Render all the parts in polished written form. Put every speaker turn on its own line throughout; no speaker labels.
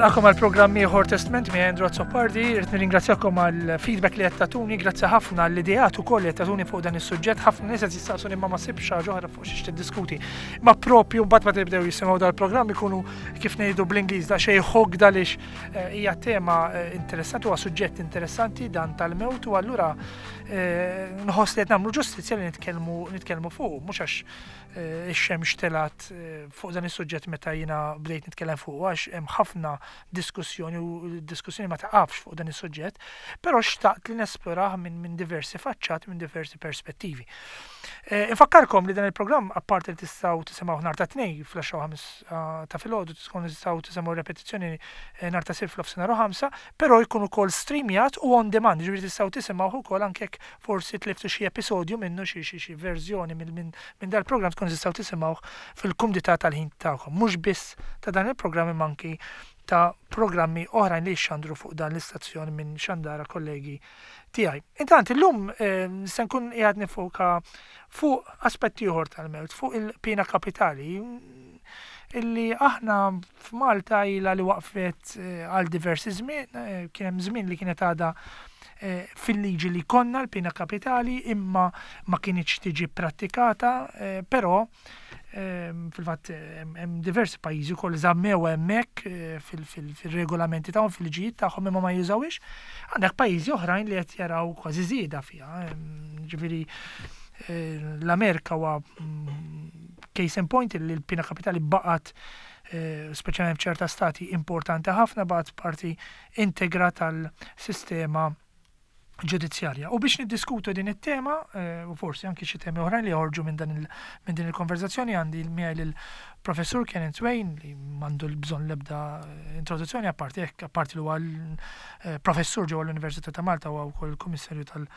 Nilqakom għal programm ieħor Testment mi Andrew Azzopardi, irrid nirringrazzjakom għal feedback li qed tagħtuni, grazzi ħafna għall ideat ukoll li qed tagħtuni fuq dan is-suġġett, ħafna nies qed jistaqsuni ma ma sibx ħaġa oħra fuq xiex tiddiskuti. Ma propju mbagħad meta jibdew jisimgħu dal-programm ikunu kif ngħidu bl-Ingliż daqsxejn hooked għaliex eh, hija tema eh, interessanti huwa suġġett interessanti dan tal-mewt u allura eh, nħoss li qed nagħmlu ġustizzja li nitkellmu nitkellmu fuq, mhux għax ix-xemx telgħet fuq dan is-suġġett meta jiena bdejt nitkellem fuq għax hemm ħafna diskussjoni u d-diskussjoni ma taqafx fuq dan is-suġġett, però xtaqt li nesplorah minn min diversi faċċat, minn diversi perspettivi. Eh, infakkarkom li dan il-programm apparti li tistgħu tisimgħu nhar ta' tnej fl-10 ah, ta' filgħodu tkunu tistgħu tisimgħu repetizzjoni eh, nhar ta' sir fl-ofsinhar u ħamsa, però jkun ukoll streamjat u on demand, ġifieri tistgħu tisimgħu ukoll anke jekk forsi tliftu xi episodju minnu xi xi xi verżjoni minn min, min dal-programm tkunu tistgħu tisimgħuh fil-kumdità tal-ħin tagħkom. Mhux biss ta' dan il-programm imma anki ta' programmi oħrajn li jixxandru fuq dan l-istazzjon minn xandara kollegi tiegħi. Intant illum eh, se nkun qiegħed nifoka fuq aspetti ieħor tal-mewt, fuq il-pina kapitali illi aħna f'Malta ilha li waqfet eh, għal diversi żmien, eh, kien hemm żmien li kienet għadha eh, fil-liġi li konna l-pina kapitali imma ma kinitx tiġi prattikata, però fil-fatt hemm diversi pajjiżi wkoll żammew hemmhekk fil-regolamenti tagħhom fil-liġijiet tagħhom imma ma jużawhiex. Għandek pajjiżi oħrajn li qed jaraw kważi żieda fiha. Ġifieri l-Amerika huwa mm, case in point li l-pina kapitali baqgħet eh, speċjalment f'ċerta stati importanti ħafna baqgħet parti integra tal-sistema ġudizzjarja. U biex niddiskutu din it-tema, eh, u forsi anki xi temi oħrajn li joħorġu minn dan minn din il-konverzazzjoni għandi miegħi lil professur Kenneth Wayne li m'għandu l-bżonn l-ebda eh, introduzzjoni apparti hekk apparti li huwa professur ġewwa l-Università ta' Malta huwa wkoll il-Kummissarju tal-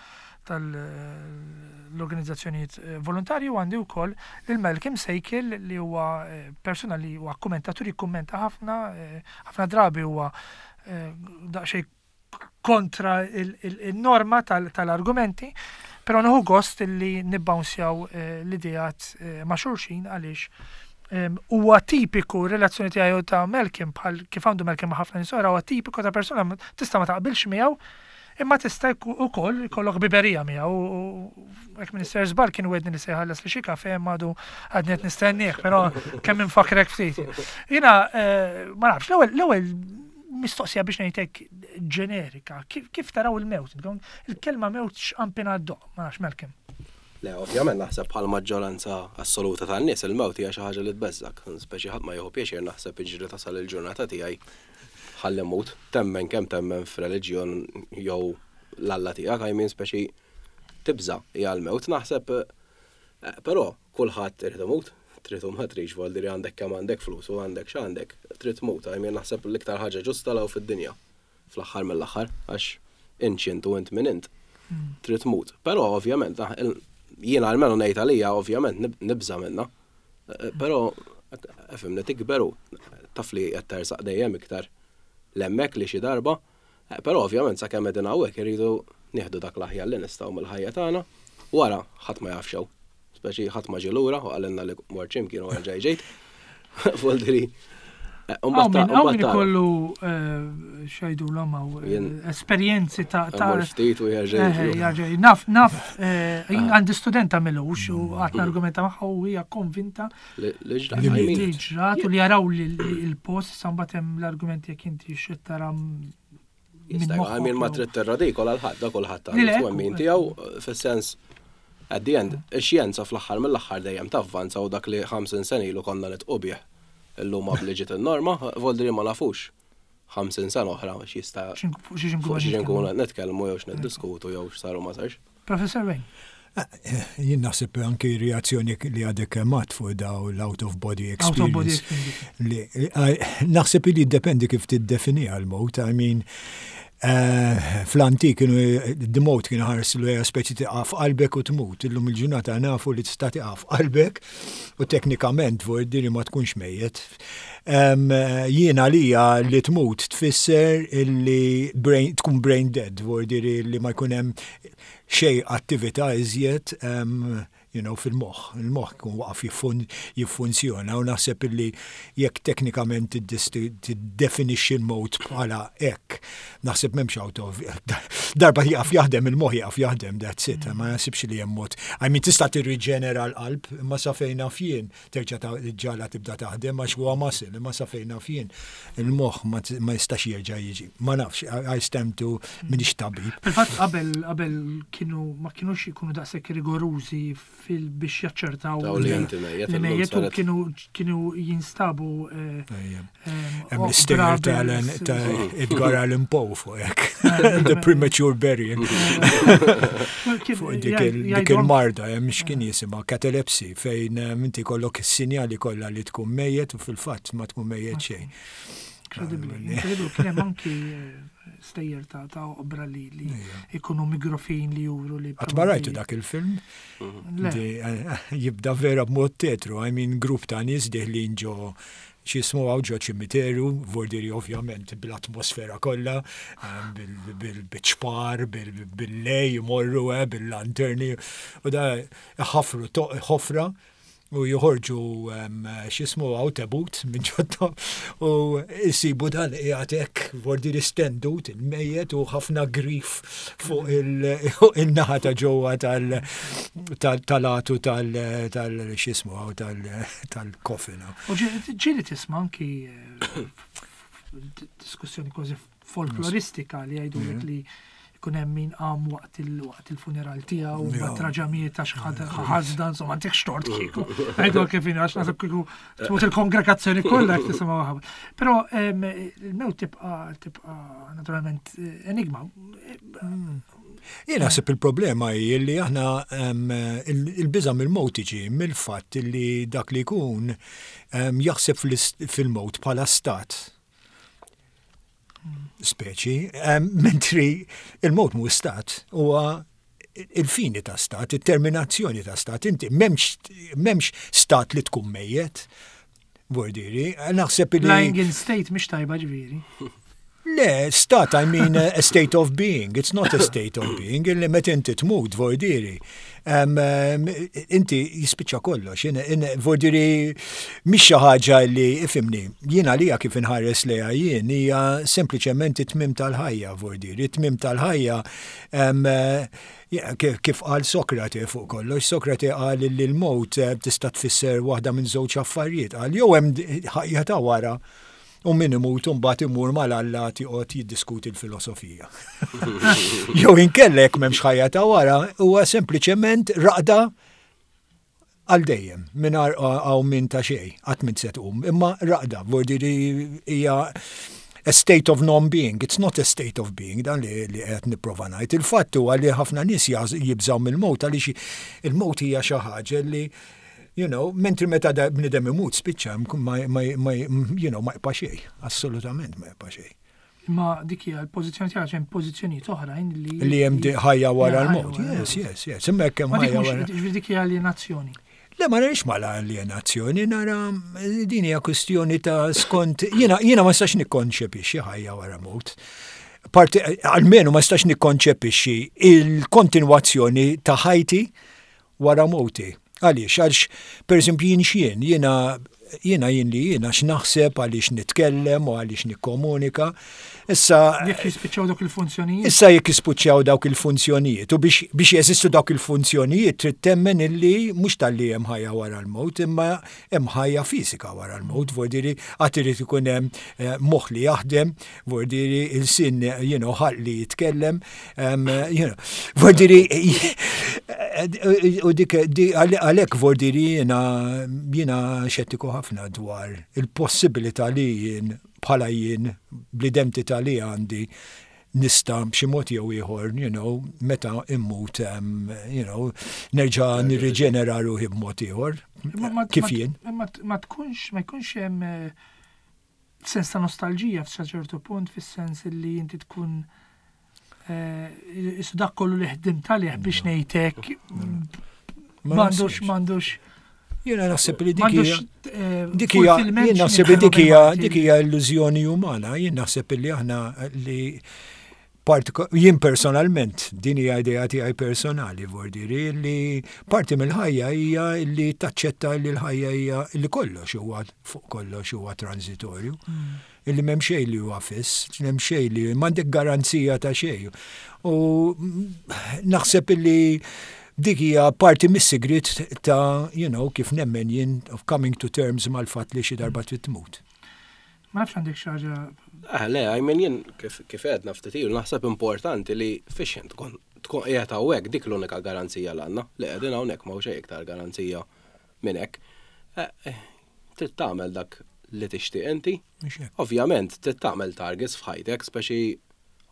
tal-organizzazzjonijiet eh, volontarji u għandi wkoll lil Malcolm Sejkel li huwa eh, persuna li huwa kommentatur jikkummenta ħafna, eh, ħafna drabi huwa daqsxejn kontra il-norma tal-argumenti, però nieħu gost li nibbawnsjaw l-idejat ma' xulxin għaliex huwa tipiku relazzjoni tiegħi ta' Malcolm bħal kif għandu Malcolm ma' ħafna nies oħra huwa tipiku ta' persuna tista' ma taqbilx miegħu Imma tista' wkoll ikollok ħbiberija miegħu u hekk Minister żball kien wedni li se jħallas li xi kafe imma għadu għadni qed nistennieh, però kemm infakrek ftit. Jiena eh, ma nafx, l-ewwel l-ewwel mistoqsija biex ngħidlek ġenerika, kif taraw il-mewt? Il-kelma mewt x'qampina ddoq, ma nafx Malcolm.
Le, ovvjament naħseb bħal maġġoranza assoluta tan-nies il-mewt hija xi ħaġa li tbeżżak, speċi ħadd ma jieħu pjaċir naħseb iġri tasal il-ġurnata tiegħi ħalli mmut, temmen kemm temmen f'reliġjon jew l-Alla tiegħek, I mean speċi tibża' hija l-mewt naħseb eh, però kulħadd irid imut, trid u ma tridx voldi li għandek kemm għandek flus u għandek x'għandek, trid tmut, I mean naħseb l-iktar ħaġa ġusta law fid-dinja fl-aħħar mill-aħħar għax int x'int u int min int. Hmm. Trid tmut. Però ovvjament jiena almenu ngħid għalija ovvjament nibża' minnha. Eh, però, fimni tikberu, taf li qed tersaq dejjem iktar l-hemmhekk li xi darba, eh, però ovvjament sakemm qegħdin hawnhekk irridu nieħdu dak l-aħjar li nistgħu mill-ħajja tagħna, wara ħadd ma jaf xew. Speċi ħadd ma ġie lura u qalilna li mort x'imkien u erġa' ġejt. Voldiri.
Eh, Hawn min ikollu eh, xajdu l eh, esperjenzi ta'
ta' ftit u
jerġa' Naf, naf, ah. għandi studenta milux u għatna mm. argumenta magħha u hija konvinta
li
ġrat u li jaraw li l-post sambat hemm l-argumenti jekk inti xi tara
Għamin ma trid tirradikola l-ħadd, da kulħadd għandu twemmin tiegħu fis-sens at the end, ix-xjenza fl-aħħar mill-aħħar dejjem tavvanza u dak li 50 sena ilu konna nitqu bih illum li ġiet in-norma, voldri ma nafux 50 sena oħra x'jista' fuq xi nkunu qed nitkellmu jew x'niddiskutu jew x'saru ma sarx.
Professor Wayne.
Jien naħseb anki reazzjoni li għadek kemm fuq daw l-out of body experience. Naħseb li jiddependi kif tiddefini għal-mowt, I mean, eh, fl-antik kienu d-mowt kienu ħarsu li speċi tiqaf qalbek u tmut. Illum il-ġurnata nafu li tista' tiqaf qalbek u teknikament vuol ma tkunx mejjet. Jiena lija li tmut tfisser li tkun brain dead, vuol li ma jkun hemm xej attività iżjed. you know, fil-moħħ. Il-moħħ jkun waqaf jiffunzjona u naħseb illi jekk teknikament tiddefinixxi l-mewt bħala hekk, naħseb m'hemmx out of darba jieqaf jaħdem il-moħħ jieqaf jaħdem, that's it, ma naħsibx li hemm mod. I mean tista' tirriġenera l-qalb, imma sa fejn naf jien terġa' ġala tibda taħdem għax huwa muscle, imma sa fejn naf jien il-moħħ ma jistax jerġa' jiġi. Ma nafx, I stand to minix tabib.
Fil-fatt qabel qabel kienu ma kinux ikunu daqshekk rigorużi fil biex jaċċertaw
li inti mejjet.
Li mejjet u kienu kienu jinstabu. Eh,
Hemm l-istejjer ta' Edgar Allan Poe fuq hekk. The premature burial. Fuq dik il-marda hemm x'kien jisimha catalepsy fejn eh, inti kollok is-sinjali kollha li tkun mejjet u fil-fatt ma tkun mejjet xejn.
Incredibly, incredibly, kien hemm anki eh, stejjer ta' ta' oqbra li li ikunu migrofin li juru li.
Qatt ma rajtu dak il-film? Eh, jibda vera b'mod tetru, I mean grupp ta' nies deħlin ġo x'jismu hawn ġo ċimiterju, vordiri ovvjament bl-atmosfera kollha, eh, bil-ċpar, bil-lej, jmorru, eh, bil-lanterni, u da ħafru ħofra u joħorġu x'jismu hawn tebut minn ġodda u jsibu dan qiegħed hekk vordiri stendut il-mejjet u ħafna grif fuq il-naħa ta' ġewwa tal-għatu tal-x'jismu hawn tal-coffin.
U ġieli tisma' anki eh, diskussjoni kważi folkloristika li jgħidulek li jkun hemm min qam waqt il-funeral tiegħu ma traġamiet għax ħażda insomma għandek xtort kieku. Għidu kif għax naħseb kieku tmut il-kongregazzjoni kollha jekk tisimgħu ħabba. Però il-mewt tibqa' tibqa' naturalment eh, enigma.
Mm. Jien naħseb il-problema hi li aħna il-biża' mill-mewt tiġi mill-fatt li dak li jkun jaħseb fil-mewt bħala stat. Speċi, mentri il-mewt mhu stat, huwa il-fini ta' stat, il-terminazzjoni ta' stat. Inti m'hemmx stat li tkun mejjet. Vordiri, naħseb
li. Lying in state mhix tajba ġifieri.
Le, stat, I mean a state of being. It's not a state of being. Illi met inti tmut, vordiri. Inti jispiċċa kollox. Vordiri, mhix xi ħaġa li ifimni. Jien għalija kif inħares lejha jien hija sempliċement it-tmiem tal-ħajja, vordiri. It-tmiem tal-ħajja Kif qal Sokrate fuq kollox, Sokrate qal li l-mewt eh, tista' tfisser waħda minn żewġ affarijiet. Qal jew hemm ħajja ta' wara u min imut mbagħad imur mal-alla joqgħod jiddiskuti l-filosofija. Jew inkella jekk m'hemmx ħajja ta' wara huwa sempliċement raqda Għal dejjem, mingħajr qawmien ta' xejn, qatt m'int se tqum, imma raqda, vuol dire hija a state of non-being, it's not a state of being, dan li qed nipprova ngħid. Il-fatt huwa li ħafna nies jibżgħu mill-mewt għaliex il-mewt hija xi ħaġa li you know, mentri meta bniedem imut spiċċa ma, you know, ma jibqa' xejn, assolutament ma jibqa' xejn.
Imma dik hija l-pożizzjoni tiegħek hemm pożizzjonijiet oħrajn li.
Li hemm ħajja wara l-mod. Yes, yes, yes. Imma hekk hemm
ħajja wara. Ġifieri dik hija alienazzjoni.
Le ma narix ma l-alienazzjoni, nara din hija kwistjoni ta' skont jiena jiena ma nistax nikkonċepixxi ħajja wara mewt. Parti almenu ma nistax nikkonċepixxi il-kontinwazzjoni ta' ħajti wara mewti. Għaliex? Għax, pereżempju, jien x'jien? Jiena jiena jien li jien għax naħseb, għaliex nitkellem u għaliex nikkomunika. Issa
Jekk jispiċċaw dawk il-funzjonijiet.
Issa jekk jispiċċaw dawk il-funzjonijiet u biex biex jeżistu dawk il-funzjonijiet trid temmen illi mhux talli hemm ħajja wara l-mewt imma hemm ħajja fiżika wara l-mewt, vuol dire għad irid ikun hemm eh, moħħ li jaħdem, vuol dire ilsien you know, ħalq li jitkellem, you know, vuol dire u dik għalhekk vuol dire jiena jiena xettiku ħafna dwar il-possibilità li jien bħala jien bl-identità li għandi nista' b'xi mod jew ieħor, you know, meta immut, you know, nerġa' nirriġenera ruħi b'mod ieħor. Kif jien?
Ma tkunx, ma jkunx hemm eh, sens ta' nostalġija f'sa ċertu punt fis-sens li inti tkun eh, isu dak kollu li ħdimt għalih biex ngħidlek m'għandux m'għandux
Jiena naħseb li dik hija eh, dik hija jien naħseb li dik hija dik hija illużjoni umana, jien naħseb li aħna li Jien personalment, din hija idea tiegħi personali, vordiri, li parti mill-ħajja hija li taċċetta li l-ħajja hija li kollox huwa fuq kollox huwa transitorju. Illi m'hemm xejn li huwa fiss, m'hemm xejn li m'għandek garanzija ta' xejn. U naħseb illi dik hija parti mis-sigriet ta' you know, kif nemmen jien of coming to terms mal-fatt li xi darba trid tmut.
Ma nafx għandek xi ħaġa.
Eh, le, I mean jien kif kif għedna ftit ilu naħseb importanti li fiex int tkun tkun qiegħed hawnhekk dik l-unika garanzija l għandna li qegħdin hawnhekk m'hawn xejn iktar garanzija minn hekk. Eh, eh, trid tagħmel dak li tixtieq inti. Ovvjament trid tagħmel targets f'ħajtek, speċi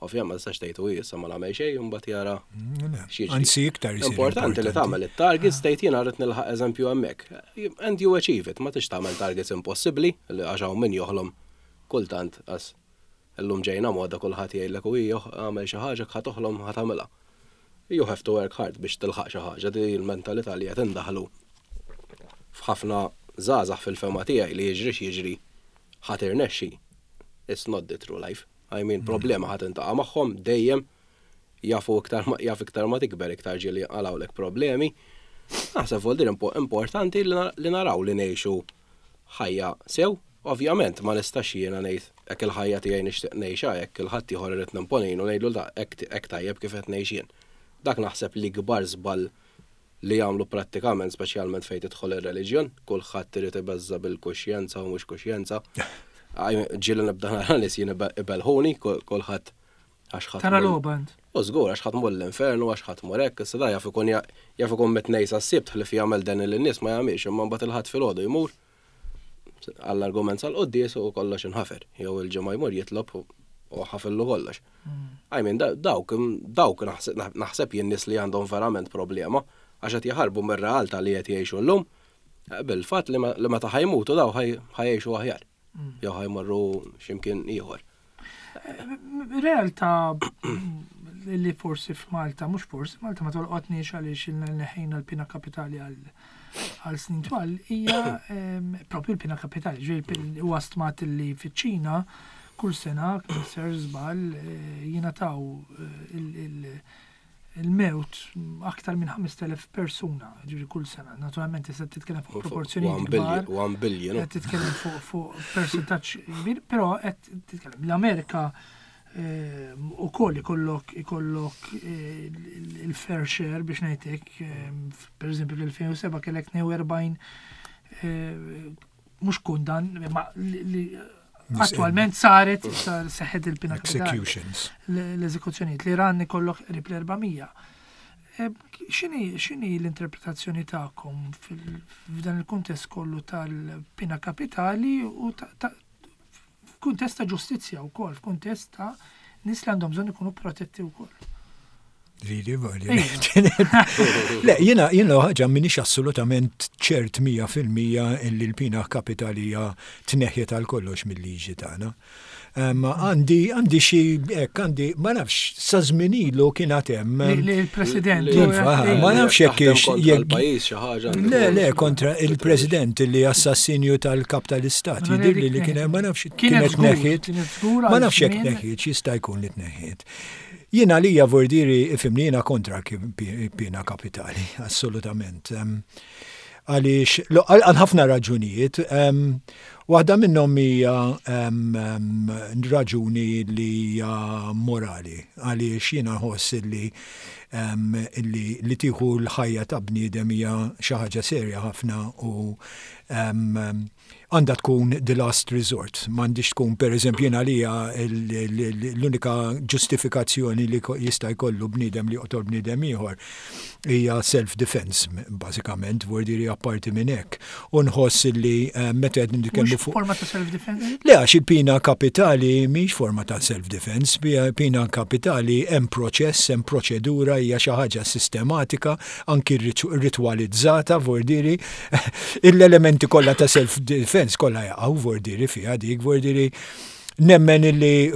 ovvjament ma tistax tgħid u issa ma nagħmel xejn u mbagħad jara
mm, Anzi iktar
Importanti li tagħmel it-targets tgħid jiena rrid nilħaq eżempju hemmhekk. And you achieve it, ma tix tagħmel targets impossibbli li għax hawn min joħlom kultant għas illum ġejna moda kulħadd jgħidlek u għamel xi ħaġa ħa toħlom ħa tagħmilha. You have to work hard biex tilħaq xi ħaġa, di l-mentalità li qed indaħlu f'ħafna żgħażagħ fil-fehma tiegħi li jiġri x'jiġri ħa tirnexxi. It's not the true life. I mean, problema ħa tintaqa' magħhom dejjem jafu iktar jaf iktar ma tikber iktar ġieli jinqalgħulek problemi. Naħseb vol dir importanti li naraw li ngħixu ħajja sew. Ovvjament ma nistax jiena ngħid hekk il-ħajja tiegħi nixtieq ngħixha hekk il-ħaddieħor irrid nimponinu ngħidlu da hekk tajjeb kif qed ngħix jien. Dak naħseb l-ikbar żball li jagħmlu prattikament speċjalment fejn tidħol ir-reliġjon, kulħadd irid ibeżża' bil-kuxjenza u mhux kuxjenza. Ġieli nibda nara nies jien ibelħuni, kulħadd għax ħadd.
Tara logħba int.
U żgur għax ħadd mur l-infern u għax ħadd mur hekk, issa da jaf ikun jaf ikun mit-tnejn sas-Sibt ħlief jagħmel deni lin-nies ma jagħmilx imma mbagħad il-Ħadd filgħodu jmur għall-argument sal-quddies u kollox inħafer. Jew il-ġimgħa jmur jitlob u ħafillu kollox. I mean, dawk, dawk naħseb jien nies li għandhom verament problema għax qed jaħarbu mir-realtà li qed jgħixu llum bil-fatt li meta ħajmutu daw ħajgħixu aħjar. Jew ħajmorru x'imkien ieħor.
Realtà li forsi f'Malta, mhux forsi, Malta ma tolqotniex għaliex ilna neħejna l-pina kapitali għal snin twal, hija ehm, propju l-pina kapitali, ġifieri huwa stmat li fiċ-Ċina kull sena, ser żball, eh, jingħataw eh, il-mewt aktar minn 5,000 persuna, ġifieri kull sena. Naturalment tista' titkellem fuq proporzjonijiet kbar.
1 billion.
Qed titkellem fuq percentaġġ kbir, però qed titkellem l-Amerika eh, ukoll ikollok ikollok eh, il-fair share biex ngħidlek, eh, per eżempju fl-2007 kellek 42 mhux kundan, ma li Attualment saret, seħħet il-pina
Executions.
L-eżekuzzjonijiet. L-Iran ikollok qrib l-400. E, x'inhi l-interpretazzjoni tagħkom f'dan il-kuntest kollu tal-pina kapitali u f'kuntest ta' ġustizzja wkoll, f'kuntest ta' nies li għandhom bżonn ikunu protetti wkoll?
Lili, Le, jena, jena ħaġa minix assolutament ċert 100% illi l-pina kapitali hija tneħħiet għal kollox mill-liġi tagħna. Għandi, għandi xi, hekk, għandi, ma nafx, sa żmien ilu kien għad hemm.
Li l-President.
Ma nafx jekk
jekk. xi ħaġa.
Le, le, kontra il-President li assassinju tal-kap tal-istat. Jidirli li kien ma nafx kienet neħħiet. Ma nafx jekk neħħiet, jista' jkun li tneħħiet. Jien għalija vordiri ifimni jiena kontra pina kapitali, assolutament. Għaliex, għal ħafna raġunijiet, waħda minnhom hija raġuni li hija morali, għaliex jiena nħoss li li tieħu l-ħajja ta' bniedem hija xi ħaġa serja ħafna u għandha tkun the last resort. M'għandhiex tkun, per eżempju, jien għalija l-unika ġustifikazzjoni li jista' jkollu bniedem li joqtol bniedem ieħor hija self-defense, bażikament, vuol dire apparti minn hekk. U nħoss li eh, meta qed nitkellmu
fuq. Forma ta' self-defense?
Le, għax il-pina kapitali mhix forma ta' self-defense, pina kapitali hemm proċess, hemm proċedura, hija xi ħaġa sistematika, anki ritwalizzata, vuol dire l-elementi kollha ta' self-defense kollha jaqgħu vordiri fiha dik, vordiri. Nemmen illi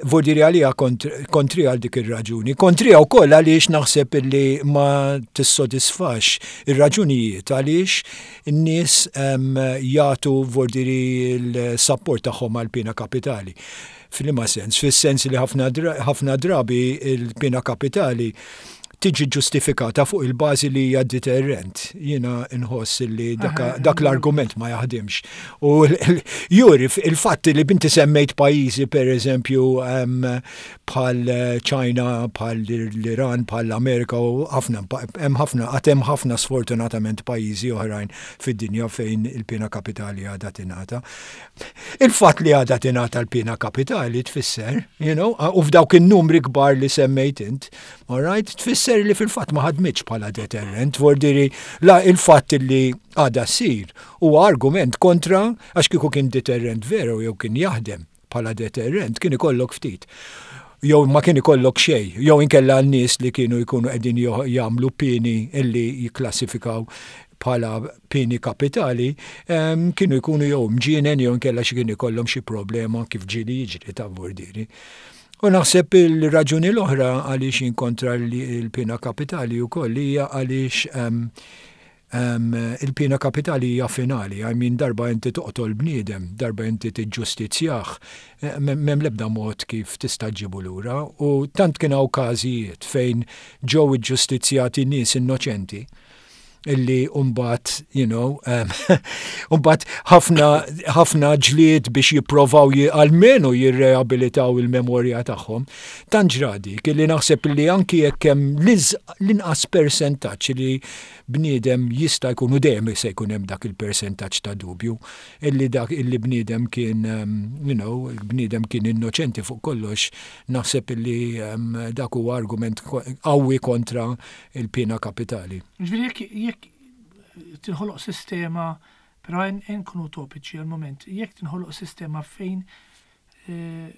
vordiri għalija kontri għal dik ir-raġuni. Kontrija wkoll għaliex naħseb illi ma tissodisfax ir-raġunijiet għaliex in-nies jagħtu vordiri l-sapport tagħhom għall-piena kapitali. F'liema sens? Fis-sens li ħafna drabi il-piena kapitali tiġi ġustifikata fuq il-bażi li hija deterrent. Jiena nħoss li dak l-argument ma jaħdimx. U juri il-fatt li binti semmejt pajjiżi per eżempju bħal China, bħal l-Iran, bħal l-Amerika u ħafna hemm ħafna għad hemm ħafna sfortunatament pajjiżi oħrajn fid-dinja fejn il-piena kapitali għadha tingħata. Il-fatt li għadha tingħata l-piena kapitali tfisser, you know, u f'dawk in-numri kbar li semmejt int, all right, tfisser li fil-fatt ma ħadmitx bħala deterrent, vordiri la il-fatt li għadha ssir huwa argument kontra għax kieku kien deterrent veru jew kien jaħdem bħala deterrent kien ikollok ftit jew ma kien ikollok xejn, jew inkella n-nies li kienu jkunu qegħdin jagħmlu pieni illi jikklassifikaw bħala pieni kapitali kienu jkunu jew mġienen jew inkella xi kien ikollhom xi problema kif ġieli jiġri ta' vordiri. U naħseb il-raġuni l-oħra għaliex jien kontra l-piena kapitali wkoll hija għaliex il-piena kapitali hija finali, I mean darba inti toqtol bniedem, darba inti tiġġustizzjah, m'hemm l-ebda mod kif tista' ġġibu lura u tant kien hawn każijiet fejn ġew iġġustizzjati nies innoċenti illi umbat, you know, umbat ħafna ħafna ġlied biex jipprovaw almenu jirreabilitaw il-memorja tagħhom. Tant ġra dik illi naħseb illi anki jekk hemm l-inqas persentaġġ li bniedem jista' jkun u dejjem se jkun hemm dak il-persentaġġ ta' dubju illi dak illi bniedem kien you know, bniedem kien innoċenti fuq kollox, naħseb illi dak huwa argument qawwi kontra il-piena kapitali.
Ġifieri jekk jekk tinħoloq sistema, però nkunu utopiċi għal-moment, jekk tinħoloq sistema fejn eh,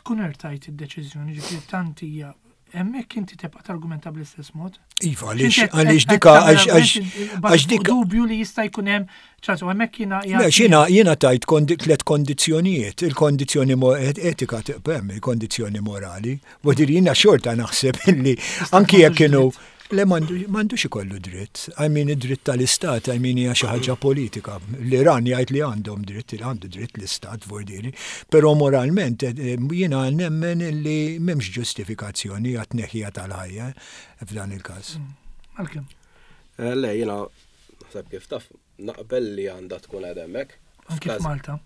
tkun ertajt id-deċiżjoni, ġifieri tant hija hemmhekk inti tibqa' targumenta bl-istess mod.
Iva, għaliex għaliex dika
għax dika dubju li jista' jkun hemm ċażu hemmhekk jiena
Le, jiena jiena tajt tliet kondizzjonijiet, il-kondizzjoni etika tibqa' il-kondizzjoni morali. Vodir jiena xorta naħseb illi anki jekk kienu Le m'għandux ikollu dritt. I mean id-dritt tal-istat, I mean hija xi ħaġa politika. L-Iran jgħid li għandhom dritt, li għandu dritt l-istat vordiri, però moralment eh, eh, jiena nemmen li m'hemmx ġustifikazzjoni għat-tneħħija tal-ħajja f'dan il-każ. Mm.
Malcolm.
Eh, le, jiena naħseb kif taf naqbel li għandha tkun għad hemmhekk.
Anki f'Malta.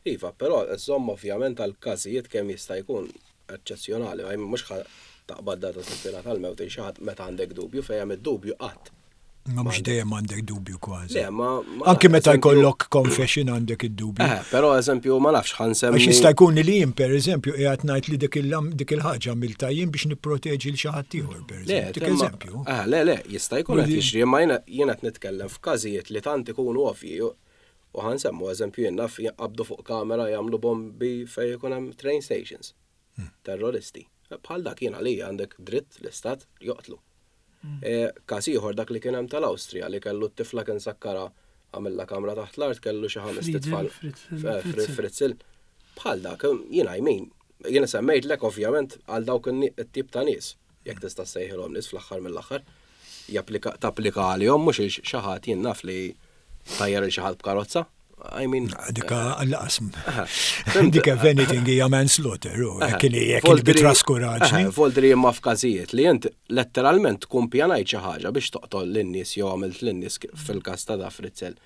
Iva, però żomm ovvjament għal każijiet kemm jista' jkun eċċezzjonali, ma mhux ħa taqbad data sittina tal-mewt il xi ħadd meta għandek dubju, fejn hemm id-dubju qatt.
Ma mhux dejjem għandek dubju kważi.
Le, ma.
Anki meta jkollok confession għandek id-dubju.
Eh, però eżempju ma nafx ħa nsemmi.
Għax jista' jkun li jien pereżempju qiegħed ngħid li dik il-ħaġa għamiltha jien biex nipproteġi l xi ħadd ieħor pereżempju. Dik eżempju.
Eh, le, le, jista' jkun qed jiġri, imma jiena qed nitkellem f'każijiet li tant ikunu ovvji u ħa nsemmu eżempju jien naf jinqabdu fuq kamera jagħmlu bombi fejn ikun hemm train stations. Hmm. Terroristi. Bħal dak jien għalija għandek dritt l-istat joqtlu. Hmm. E, każ ieħor dak li kien hemm tal-Awstrija li kellu t-tifla kien sakkara għamilla kamra taħt l-art kellu xi ħames tfal. Fritzil. Bħal dak, jiena jmin, jiena semmejtlek ovvjament għal dawk it-tip ta' nies, jekk tista' ssejħilhom nies fl-aħħar mill-aħħar, japplika tapplika għalihom mhux il xi ħadd jien naf li tajjar il xi ħadd b'karozza. I mean.
Dika laqas. Dika if anything hija manslaughter, u kien jekk bitraskuraġni.
Voldri imma f'każijiet li int letteralment tkun pjanajt xi ħaġa biex toqtol lin-nies jew għamilt lin-nies fil-każ ta' da Fritzel.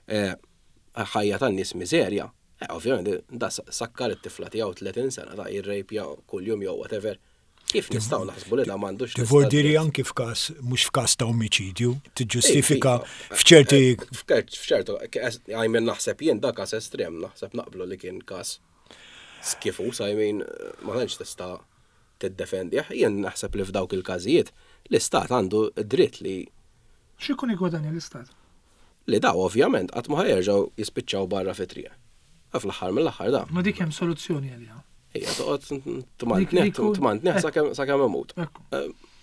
Eh, ħajja tan-nies miżerja. Eh, ovvjament, da sakkar it-tifla tiegħu 30 sena ta' jirrejpja kuljum jew whatever. Kif nistgħu naħsbu li da m'għandux
Tivordiri anki f'każ mhux f'każ ta' omiċidju, tiġġustifika f'ċerti.
F'ċertu, I mean naħseb jien da każ estrem, naħseb naqblu li kien każ skifus, I mean ma tantx tista' tiddefendih. Jien naħseb li f'dawk il-każijiet l-istat għandu dritt li.
X'ikun igwadanja l-istat?
Li daw ovvjament qatt ma ħa jerġgħu jispiċċaw barra fit-triq. Fl-aħħar mill-aħħar da.
Ma dik hemm soluzzjoni għaliha.
Ejja, toqgħod tmantnih tmantnih sakemm imut.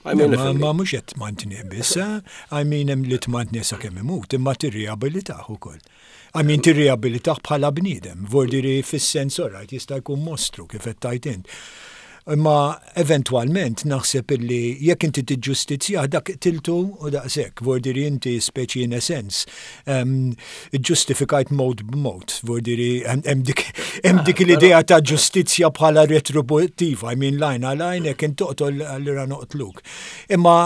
I mean,
Ma mhux qed tmantnih biss, eh? I mean hemm li tmantnih sakemm imut, imma tirriabilitah ukoll. I mean tirriabilitah bħala bniedem, vordiri fis-sens orajt jista' jkun mostru kif qed tgħid int. Imma eventwalment naħseb illi jekk inti tiġġustizzjah dak qtiltu u daqshekk, vordiri inti speċi in a sense ġġustifikajt mewt b'mewt, vordiri hemm dik hemm dik l-idea ta' ġustizzja bħala retributtiva, I mean l-għajn għal għajn jekk int toqtol allura noqtluk. Imma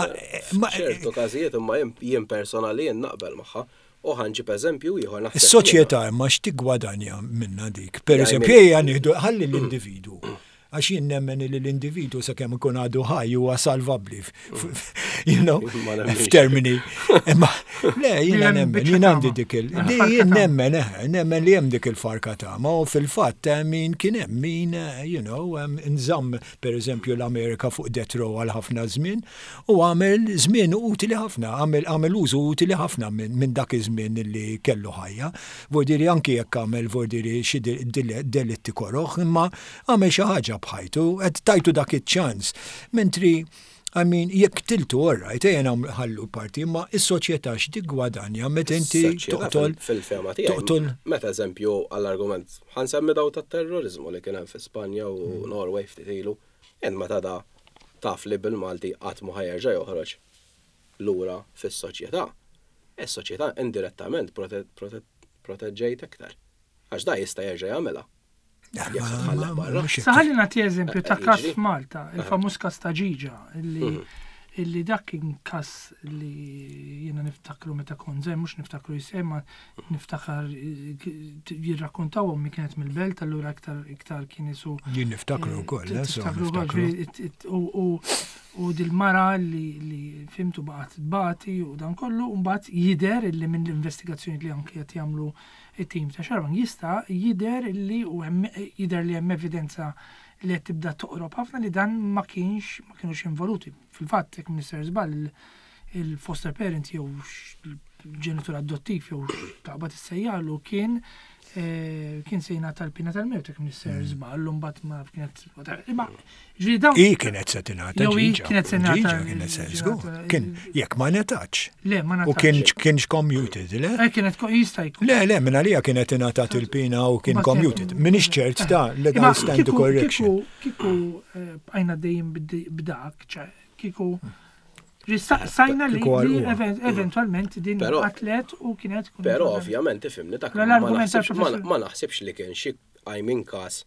F'ċertu każijiet imma jien personali jien naqbel magħha u ħa nġib eżempju ieħor naħseb.
Is-soċjetà imma x'tiggwadanja minnha dik? Per eżempju, ejja nieħdu ħalli l-individwu. Għax jien nemmen li l-individu sakemm ikun għadu ħaj huwa salvabbli. You know, f'termini. Imma le, jiena nemmen, jien għandi dik il. Jien nemmen, eh, nemmen li hemm dik il-farka ta' ma u fil-fatt eh, min kien hemm min, eh, you know, nżamm pereżempju l-Amerika fuq death row għal ħafna żmien u għamel żmien utili ħafna, għamel użu utili ħafna minn dak iż-żmien li kellu ħajja. Vordiri anki jekk għamel vordiri xi delitti koroħ, imma Għamel xi ħaġa b'ħajtu, qed tajtu dak iċ-ċans. Mentri, I mean, jekk qtiltu all right, ejja nħallu parti, imma is-soċjetà x'tiggwadanja meta inti toqtol.
Fil-fehma tiegħi. Toqtol. Meta eżempju għall-argument, ħa nsemmi daw tat-terroriżmu li kien hemm fi Spanja u hmm. Norway ftit ilu, int meta da taf li bil-Malti qatt ma ħa jerġa' joħroġ lura fis-soċjetà, is-soċjetà indirettament proteġġejt aktar. Għax da jista' jerġa' jagħmilha.
Sa ħalli nagħti eżempju ta' każ f'Malta, il-famuż każ ta' Ġiġa, illi mhm. illi dak kien każ li jiena niftakru meta kont żgħir, mhux niftakru jisem, ma niftakar jirrakkontaw ommi kienet mill-belt, allura iktar iktar kien isu.
Jien niftakru eh, wkoll, eh,
niftakru wkoll, u dil-mara li li fimtu baqgħet tbati u dan kollu, u mbagħad jidher illi minn l-investigazzjoni li anke qed jagħmlu it-tim ta' Xarabank jista' jidher li u hemm jidher li hemm evidenza li qed tibda toqrob ħafna li dan ma kienx ma kienux involuti. Fil-fatt jekk m'iniex żball il-foster parent jew il-ġenitur adottiv jew taqbad issejjalu kien eh, kien se jingħata l-pina tal-mewt jekk m'iniex mm. żball u mbagħad ma kienet imma
ġieli dawn Hi kienet se tingħata.
Jew hi kienet se
tingħata. Kienet se żgur. Kien jekk ma ngħatax.
Le, ma
ngħatax. U kien kienx commuted, le?
Eh, kienet jista'
jkun. Le, le, minn għalija kienet ingħatat il-pina u kien commuted. Minix ċert ta' legal stand to correction.
Kieku eh, bqajna dejjem b'dak, kieku Sajna li eventualment din atlet u kienet.
Però ovvjament ifimni dak. Ma naħsibx li kien xi għajmin kas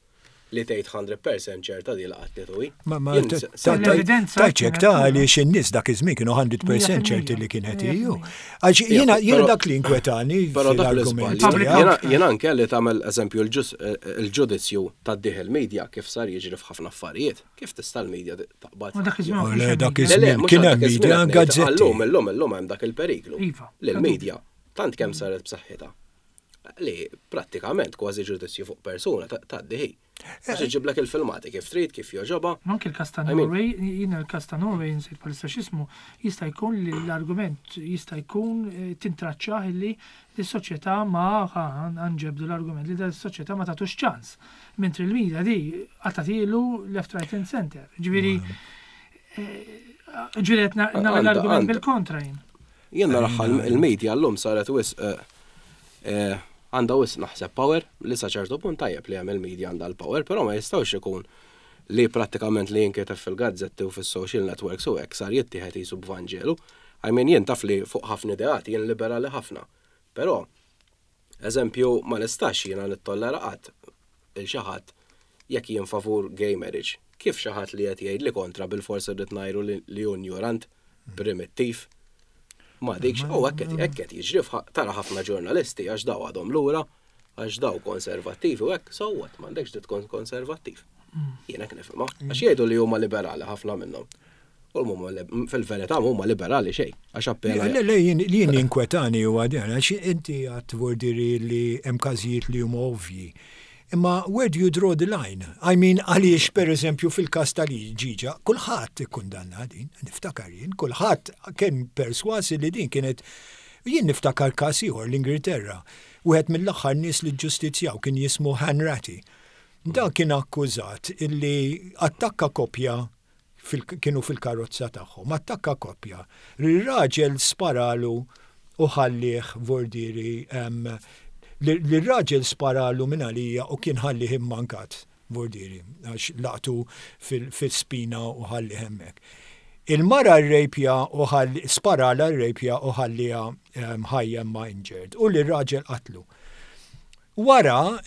li tgħid 100% ċerta di laqatni tu hi.
Ma ma l-evidenza. Tajċek ta' għaliex in-nies dak iż-żmien kienu 100% ċerti li kienet hi. Għax jiena jiena dak li inkwetani
fil-argument. Jiena anke li tagħmel eżempju il-ġudizzju tad-dieħ il-media kif sar jiġri f'ħafna affarijiet. Kif tista' l-media taqbad?
Dak iż-żmien.
Dak iż-żmien kien hemm media gazzetti.
Illum illum illum hemm dak il-periklu. Iva. Li l-media tant kemm saret b'saħħitha li prattikament kważi ġudizzju fuq persuna tgħaddi hi. Għax iġiblek il-filmati kif trid, kif jogħġobha.
Anke l-każ ta' Norway, jiena l-każ ta' Norway insejt bħalissa x'ismu, jista' jkun li l-argument jista' jkun eh, tintraċċah li l-soċjetà ma nġebdu l-argument li l-soċjetà ma tagħtux ċans. Mentri l-media di qatatilu left, right and center. Ġifieri eh, ġifieri qed nagħmel l-argument bil-kontra jien.
Jien naraha l-media llum saret wisq għandha wisq naħseb power li sa ċertu punt tajjeb li hemm il-media għandha l-power, però ma jistgħux ikun li prattikament li jinkiteb fil-gazzetti u fis-social networks u hekk sar jittieħed qisu b'vanġelu. I mean jien taf li fuq ħafna ideat jien liberali ħafna. Però eżempju ma nistax jiena nittollera qatt il xi ħadd jekk jien favur gay marriage. Kif xi ħadd li qed jgħidli kontra bilfors irrid ngħiru li hu njurant? primittiv. Ma dikx, u hekk qed hekk qed jiġri tara ħafna ġurnalisti għax daw għadhom lura, għax daw konservattivi u hekk, so what, m'għandekx dritt tkun konservattiv. Mm. Jien hekk nifhimha. Għax jgħidu li huma liberali ħafna minnhom. U fil-verità huma liberali xejn, għax appena.
Le, le, jien jinkwetani huwa dan, għax inti għad vordiri li hemm każijiet li huma ovvji. Imma where do you draw the line? I mean għaliex per eżempju fil-każ ta' Ġiġa, kulħadd ikkundanna din, niftakar jien, kulħadd kien persważ li din kienet jien niftakar każ ieħor l-Ingilterra. Wieħed mill-aħħar nies li ġġustizzjaw kien jismu Hanratty. Dan kien akkużat illi attakka koppja. kienu fil-karozza tagħhom, attakka koppja. Lir-raġel sparalu u ħallih vordieri lir-raġel sparalu minn għalija u kien ħallih immankat vordieri għax laqtu fil-spina u ħallih hemmhekk. Il-mara rrejpja u sparalha rrejpja u ħalliha ħajja imma injured u lir-raġel qatlu. Wara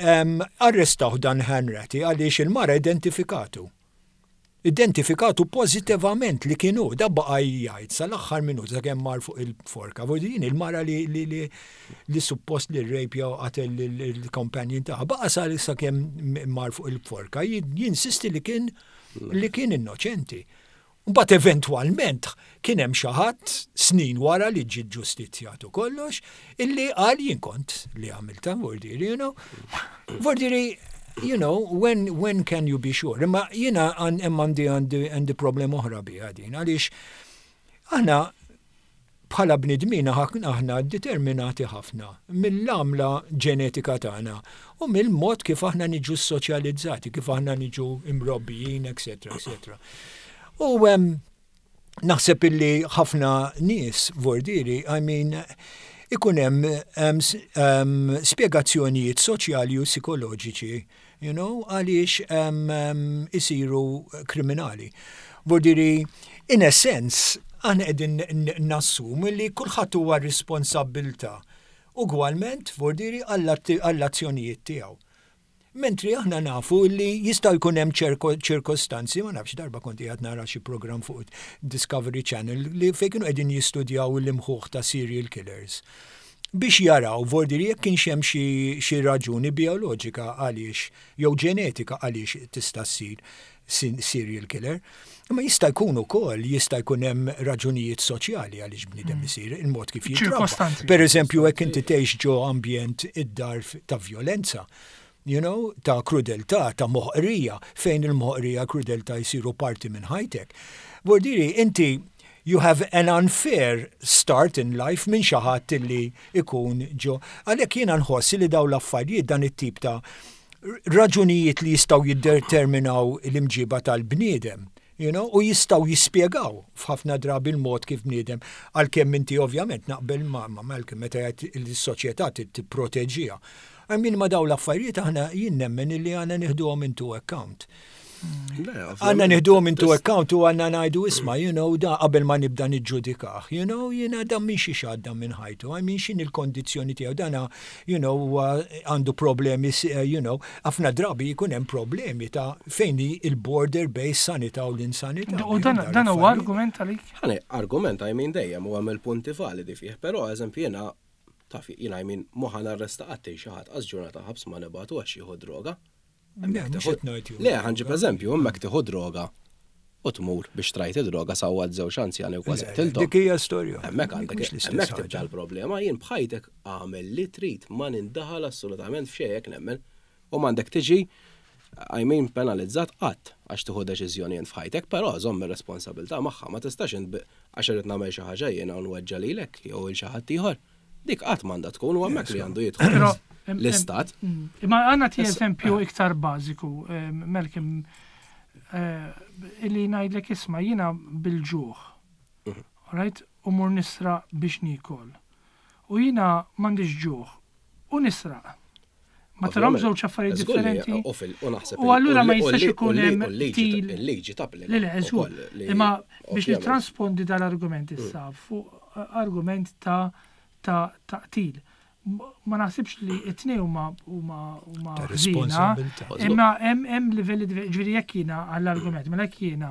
arrestawh dan Hanratty għaliex il-mara identifikatu. Identifikatu pożittivament li kien hu. Da baqa' jgħid sal-aħħar minuta sakemm mar fuq il-forka. Vuol din il-mara li li li li suppost li rrejpja u qatel il-companion tagħha. Baqa' sal sakemm mar fuq il-forka jinsisti li kien li kien innoċenti. Mbagħad eventwalment kien hemm xi ħadd snin wara li ġie ġustizzjat u kollox illi qal jien kont li għamiltha vordieri, you know. Vordieri, you know, when, when can you be sure? Imma jiena hemm għandi għandi għandi problema oħra biha din għaliex aħna bħala bnidmin aħna determinati ħafna mill-għamla ġenetika tagħna u mill-mod kif aħna niġu soċjalizzati, kif aħna niġu imrobbijin, etc. etc. U naħseb illi ħafna nies vordieri, I mean, ikun hemm spjegazzjonijiet soċjali u psikoloġiċi, you know, għaliex isiru kriminali. Vordieri, in a sense, aħna qegħdin nassumu li kulħadd huwa responsabbiltà ugwalment vordieri għall-azzjonijiet tiegħu. Mentri aħna nafu li jista' jkun hemm ċirkostanzi, ma nafx darba kont qiegħed nara xi programm fuq Discovery Channel li fejn kienu qegħdin jistudjaw l-imħuħ ta' serial killers biex jaraw vordieri jekk kienx hemm xi raġuni bijoloġika għaliex jew ġenetika għaliex tista' ssir serial killer. Imma jista' jkun ukoll jista' jkun hemm raġunijiet soċjali għaliex bniedem isir il-mod kif jitrabba. Per eżempju, jekk inti tgħix ġo ambjent id-dar ta' vjolenza, you know, ta' krudeltà, ta' moħqrija, fejn il-moħqrija krudeltà jsiru parti minn ħajtek. Vordieri, inti you have an unfair start in life minn xi ħadd illi ikun ġo. Għalhekk jiena nħoss li dawn l-affarijiet dan it-tip ta' raġunijiet li jistgħu jiddeterminaw l-imġiba tal-bniedem, you know, u jistgħu jispjegaw f'ħafna drabi l-mod kif bniedem, għalkemm inti ovvjament naqbel ma' Malcolm meta jgħid li s-soċjetà trid tipproteġiha. I mean ma' dawn l-affarijiet aħna jien nemmen illi għandna nieħduhom into account. Għandna nieħduhom into account u għandna ngħidu isma', you know, da qabel ma nibda niġġudikah, you know, jiena dan minn xiex għadda minn ħajtu, I mean x'inhi l-kondizzjoni tiegħu, dana, you know, għandu problemi, you know, ħafna drabi jkun hemm problemi ta' fejn hi il-border bejn sanità u l-insanità.
U dan huwa argument għalik?
Ħani, argument I mean dejjem u hemm il-punti validi fih, però eżempju jiena taf jiena I mean mhu ħa narresta qatt xi ħadd qas ġurnata ħabs ma nibgħatu għax jieħu droga. Le, ħa nġib eżempju, hemmhekk tieħu droga u tmur biex trajt id-droga sawwat żewġ anzjani u kważi qtilthom.
Dik hija storja.
Hemmhekk għandek hemmhekk tibda l-problema, jien b'ħajtek agħmel li trid ma nindaħal assolutament f'xejn hekk nemmen. U m'għandek tiġi I mean penalizzat qatt għax tieħu deċiżjoni int f'ħajtek, però żomm ir-responsabilità magħha, ma tistax int għax irrid nagħmel xi ħaġa jiena u nweġġa' lilek jew 'il xi ħadd ieħor. Dik qatt m'għandha tkun u hemmhekk li għandu jidħol l-istat.
Imma għandna ti eżempju iktar bażiku, Malcolm, illi ngħidlek isma' jiena bil-ġuħ. Right? U mur nisraq biex niekol. U jiena m'għandix ġuħ. U nisraq. Ma tarahom żewġ affarijiet differenti. U allura ma jistax ikun hemm
til. Il-liġi tapplika.
Le, le, żgur. Imma biex nittranspondi dal-argument issa fuq argument ta' ta' qtil. Ma naħsibx li t-tnejn huma huma huma ħżiena. Imma hemm hemm livelli ġifieri jekk jiena għall-argument, mela jekk jiena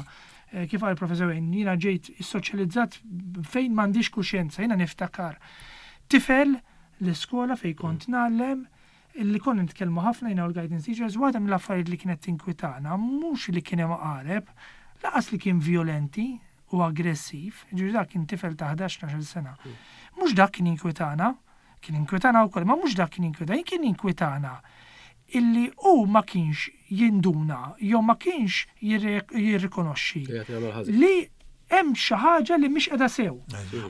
kif qal il-Professor Wayne, jiena ġejt issoċjalizzat fejn m'għandix kuxjenza, jiena niftakar tifel l-iskola fejn kont ngħallem, illi konna nitkellmu ħafna jiena u l-guidance teachers, waħda mill-affarijiet li kienet tinkwitana mhux li kien hemm għareb, lanqas li kien vjolenti u aggressiv, jiġifieri dak kien tifel ta' 11, 12 sena. Mhux dak kien jinkwitana, kien jinkwitana wkoll, imma mhux dak kien jinkwitana, kien jinkwitana illi hu ma kienx jinduna jew ma kienx jirrikonoxxi li Hemm xi ħaġa li mhix qiegħda sew.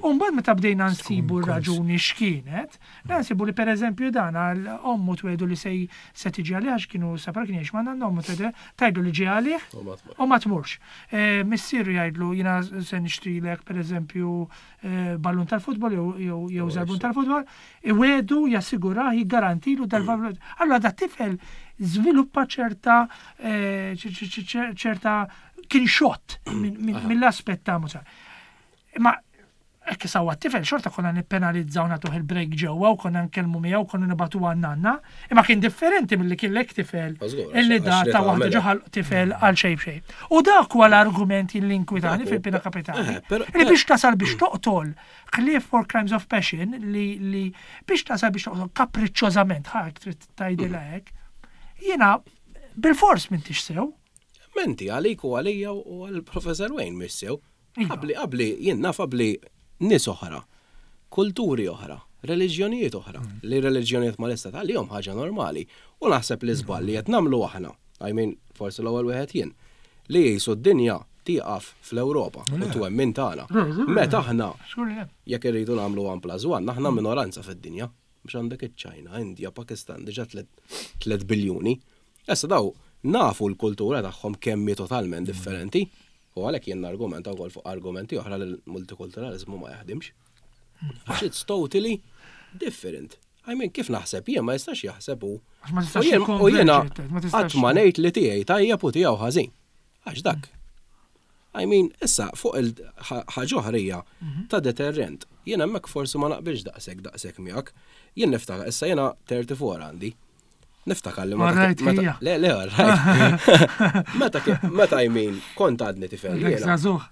U mbagħad meta bdejna nsibu r-raġuni x'kienet, nsibu li pereżempju dan għal ommu twedu li se se tiġi għalih għax kienu separa kien jgħix ma' nanna ommu twedu tgħidlu li ġie għalih u ma tmurx. Eh, missieru jgħidlu jiena se nixtrilek pereżempju eh, ballun tal-futbol jew żarbun tal-futbol, iwedu jassigurah jiggarantilu dal-valur. Allura da tifel żviluppa ċerta eh, ċerta kien xott mill-aspett ta' musa. Imma hekk sawa t-tifel xorta konna nippenalizzaw nagħtuh il-break ġewwa u konna nkellmu miegħu konna nibatu għan-nanna, imma kien differenti milli kien lek tifel illi da ta' waħda ġoħal tifel għal xejn b'xejn. U dak huwa l-argument li inkwitani fil-pina kapitali. Eh, li biex tasal biex toqtol ħlief for crimes of passion li biex tasal biex toqtol kapriċċożament ħak trid tgħidilha hekk. Jiena bil-fors m'intix sew.
Menti għalik u għalija u għall-Professor Wayne mhix sew. Iva. Qabli, qabli, jien naf qabli nies oħra, kulturi oħra, reliġjonijiet oħra, mm. li reliġjonijiet mal-istat għalihom ħaġa normali. U naħseb li żball li qed nagħmlu aħna, I mean, forsi l-ewwel wieħed jien, li jisu d-dinja tieqaf fl-Ewropa u twemmin tagħna. Meta aħna jekk irridu nagħmlu 1 plus 1, aħna minoranza fid-dinja. Biex għandek iċ-Ċina, India, Pakistan, diġà 3 biljuni. Issa daw nafu l-kultura tagħhom kemm hi totalment differenti. U għalhekk jien nargumenta wkoll fuq argumenti oħra li l-multikulturaliżmu ma jaħdimx. Għax it's totally different. I mean, kif naħseb jien ma jistax jaħseb hu. U jiena qatt ma ngħid li tiegħi tajjeb u tiegħu ħażin. Għax dak. I mean, issa fuq il-ħaġa oħra hija mhm. ta' deterrent. Jien hemmhekk forsi ma naqbilx daqshekk daqshekk miegħek. Jien niftakar issa jiena 34 għandi. Niftakar li
meta.
Le, le, right. Meta meta I mean, kont għadni tifel.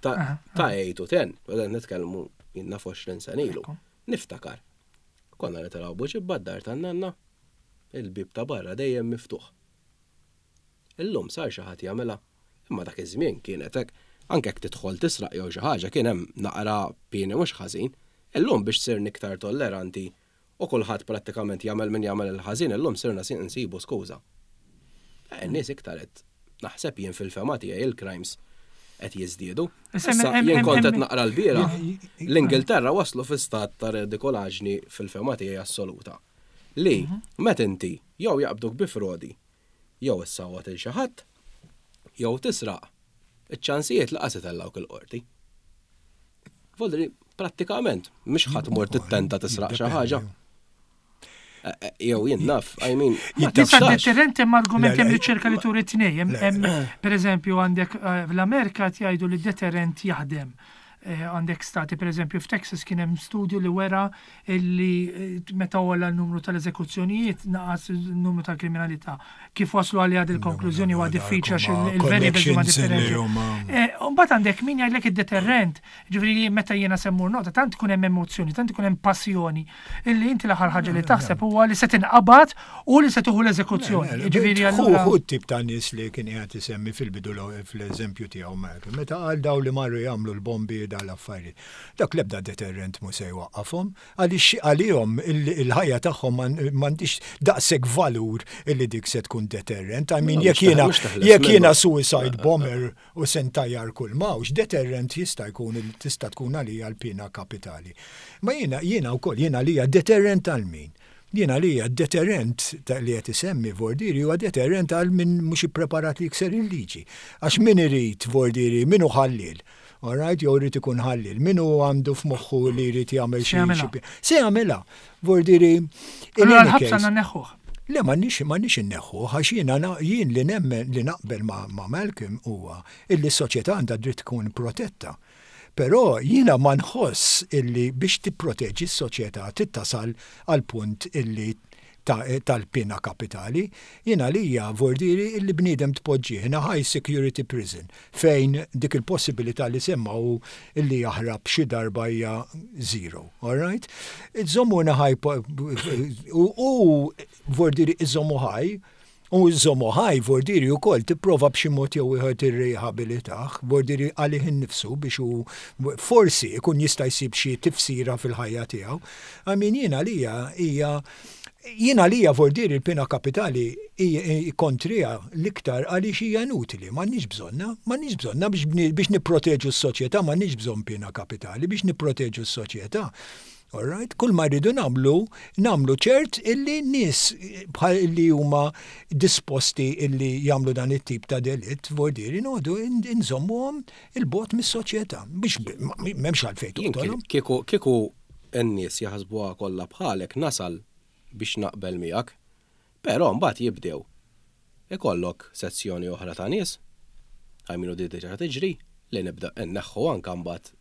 Ta' 8 u 10, bada nitkellmu jien naf 20 sena ilu. Niftakar. Konna nitilgħu buġibba d-dar tan-nanna, il-bib ta' barra dejjem miftuħ. Illum sar xi ħadd jagħmilha, imma dak iż-żmien kienet hekk. Anke jekk tidħol tisraq jew xi ħaġa kien hemm naqra pieni mhux ħażin. Illum biex sirna iktar tolleranti u kulħadd prattikament jagħmel min jagħmel il-ħażin illum sirna nsibu skuża. In-nies iktar qed naħseb jien fil-fehma tiegħi il-crimes qed jiżdiedu. Issa jien kont qed naqra l-bieraħ, l-Ingilterra waslu fi stat ta' redikolaġni fil-fehma tiegħi assoluta. Li meta inti jew jaqbduk bi frodi jew issawwat il xi ħadd, jew tisraq, iċ-ċansijiet laqas itellgħuk il-qorti. Voldri, prattikament, mhux ħadd mur tittenta tisraq xi ħaġa. Eh, eh, jew jien naf, I mean.
Tista' deterrent hemm argument hemm riċerka li turi tnej. Per eżempju għandek eh, l-Amerika jgħidu li deterrent jaħdem. Għandek stati, per eżempju, f'Texas kien hemm studju li wera illi eh, meta għola n-numru tal-eżekuzzjonijiet naqas il-numru tal-kriminalità. Kif waslu għalli għad il-konklużjoni huwa diffiċli għax il-variables huma differenti. Eh, mbagħad għandek min jgħidlek id-deterrent, ġifieri meta jiena semmur nota, tant tkun hemm emozzjoni, tant ikun hemm passjoni, illi inti l-aħħar ħaġa li taħseb huwa li se tinqabad u li se tieħu l-eżekuzzjoni.
Ġifieri allura. Hu tip ta' nies li kien qiegħed isemmi fil-bidu fl-eżempju tiegħu meta qal daw li marru jagħmlu l-bombi dal-affarijiet. Dak l-ebda deterrent mhu se jwaqqafhom, għaliex għalihom il-ħajja tagħhom m'għandhiex daqshekk valur illi dik se tkun deterrent. I mean, jekk jiena jekk jiena suicide bomber u se ntajjar kull mawx, deterrent jista' jkun tista' tkun għalija l-piena kapitali. Ma jiena jiena wkoll jiena għalija deterrent għal min? Jien għalija d-deterrent li qed isemmi Vordieri huwa deterrent għal min mhux ippreparat li jikser il-liġi. Għax min irid Vordieri, min hu ħalliel, all right, jew irid ikun ħalliel, min hu għandu f'moħħu li jrid jagħmel xi. Se jagħmilha. Vordieri.
Allura l-ħabs għandna nneħħuh.
Le m'għandniex m'għandniex inneħħuh għax jiena jien li nemmen li naqbel ma' Malcolm huwa illi s-soċjetà għandha dritt tkun protetta. Però jiena ma nħoss illi biex tipproteġi s-soċjetà trid tasal għall-punt illi tal-piena kapitali. Jien għalija vordieri illi bniedem tpoġġih in a high security prison fejn dik il-possibilità li semma hu illi jaħrab xi darba hija zero. All right? Iżommu in a high u vordieri iżommu high U żżommu ħaj, vordieri wkoll tipprova b'xi mod jew ieħor tirrijabilitah, vordieri għalih innifsu biex hu forsi ikun jista' jsib xi tifsira fil-ħajja tiegħu. I mean jien għalija hija. Jien għalija vordieri l-pena kapitali kontriha l-iktar għaliex hija inutili, m'għandniex bżonnha, m'għandniex bżonnha biex nipproteġu s-soċjetà m'għandniex bżonn pena kapitali biex nipproteġu s-soċjetà. All right? Kull ma rridu nagħmlu, nagħmlu ċert illi nies bħal illi huma disposti illi jagħmlu dan it-tip ta' delitt, vordieri noqogħdu nżommuhom 'il bogħod mis-soċjetà biex m'hemmx għalfejn toqtolhom.
Kieku kieku n-nies jaħsbuha kollha bħalek nasal biex naqbel miegħek. Però mbagħad jibdew ikollok sezzjoni oħra ta' nies, I mean u di diġà tiġri, li nibda nneħħu anke mbagħad